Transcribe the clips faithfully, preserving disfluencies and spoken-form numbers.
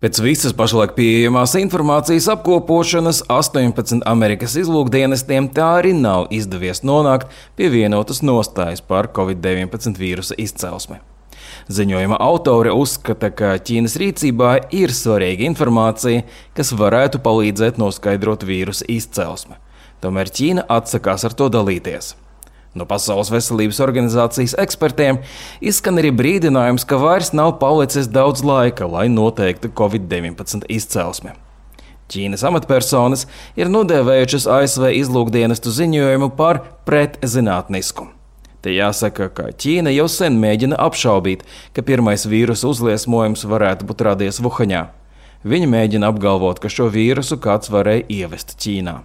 Pēc visas pašlaik pieejamās informācijas apkopošanas astoņpadsmit Amerikas izlūkdienestiem tā arī nav izdevies nonākt pie vienotas nostājas par covid deviņpadsmit vīrusa izcelsmi. Ziņojuma autori uzskata, ka Ķīnas rīcībā ir svarīga informācija, kas varētu palīdzēt noskaidrot vīrusa izcelsmi. Tomēr Ķīna atsakās ar to dalīties. No Pasaules veselības organizācijas ekspertiem izskan arī brīdinājums, ka vairs nav palicis daudz laika, lai noteiktu covid deviņpadsmit izcelsmi. Ķīnas amatpersonas ir nodēvējušas A S V izlūkdienestu ziņojumu par pretzinātnisku. Te jāsaka, ka Ķīna jau sen mēģina apšaubīt, ka pirmais vīrusa uzliesmojums varētu būt radies Vuhaņā. Viņi mēģina apgalvot, ka šo vīrusu kāds varēja ievest Ķīnā.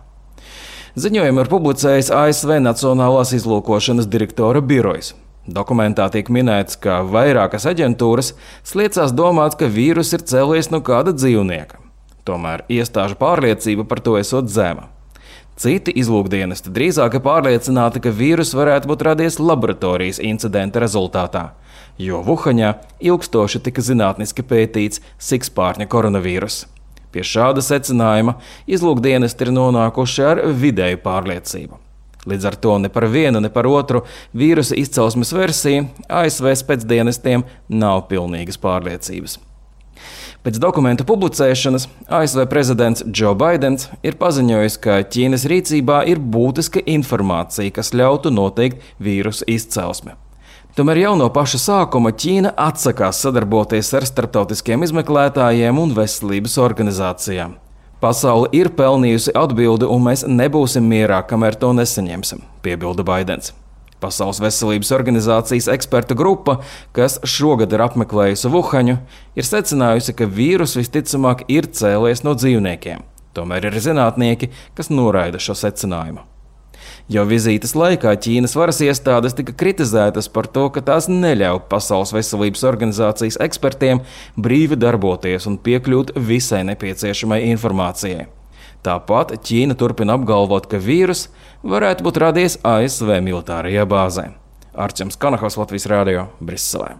Ziņojumu ir publicējis A S V Nacionālās izlūkošanas direktora birojas. Dokumentā tiek minēts, ka vairākas aģentūras sliecās domāt, ka vīrus ir cēlies no kāda dzīvnieka. Tomēr iestāžu pārliecība par to esot zema. Citi izlūkdienesti drīzāk ir pārliecināti, ka vīrus varētu būt radies laboratorijas incidenta rezultātā, jo Vuhaņā ilgstoši tika zinātniski pētīts sikspārņa koronavīrus. Pie šāda secinājuma izlūkdienesti ir nonākuši ar vidēju pārliecību. Līdz ar to ne par vienu, ne par otru vīrusa izcelsmes versiju A S V spēcdienestiem nav pilnīgas pārliecības. Pēc dokumentu publicēšanas A S V prezidents Džo Baidens ir paziņojis, ka Ķīnas rīcībā ir būtiska informācija, kas ļautu noteikt vīrusa izcelsmi. Tomēr jau no paša sākuma Ķīna atsakās sadarboties ar starptautiskiem izmeklētājiem un veselības organizācijām. Pasaule ir pelnījusi atbildi, un mēs nebūsim mierā, kamēr to nesaņemsim, piebilda Baidens. Pasaules veselības organizācijas ekspertu grupa, kas šogad ir apmeklējusi Vuhaņu, ir secinājusi, ka vīrus visticamāk ir cēlies no dzīvniekiem. Tomēr ir zinātnieki, kas noraida šo secinājumu. Jau vizītes laikā Ķīnas varas iestādes tika kritizētas par to, ka tās neļauj Pasaules veselības organizācijas ekspertiem brīvi darboties un piekļūt visai nepieciešamai informācijai. Tāpat Ķīna turpina apgalvot, ka vīrus varētu būt radies A S V militārajā bāzē. Arčuns Kanahovs, Latvijas radio, Briselē.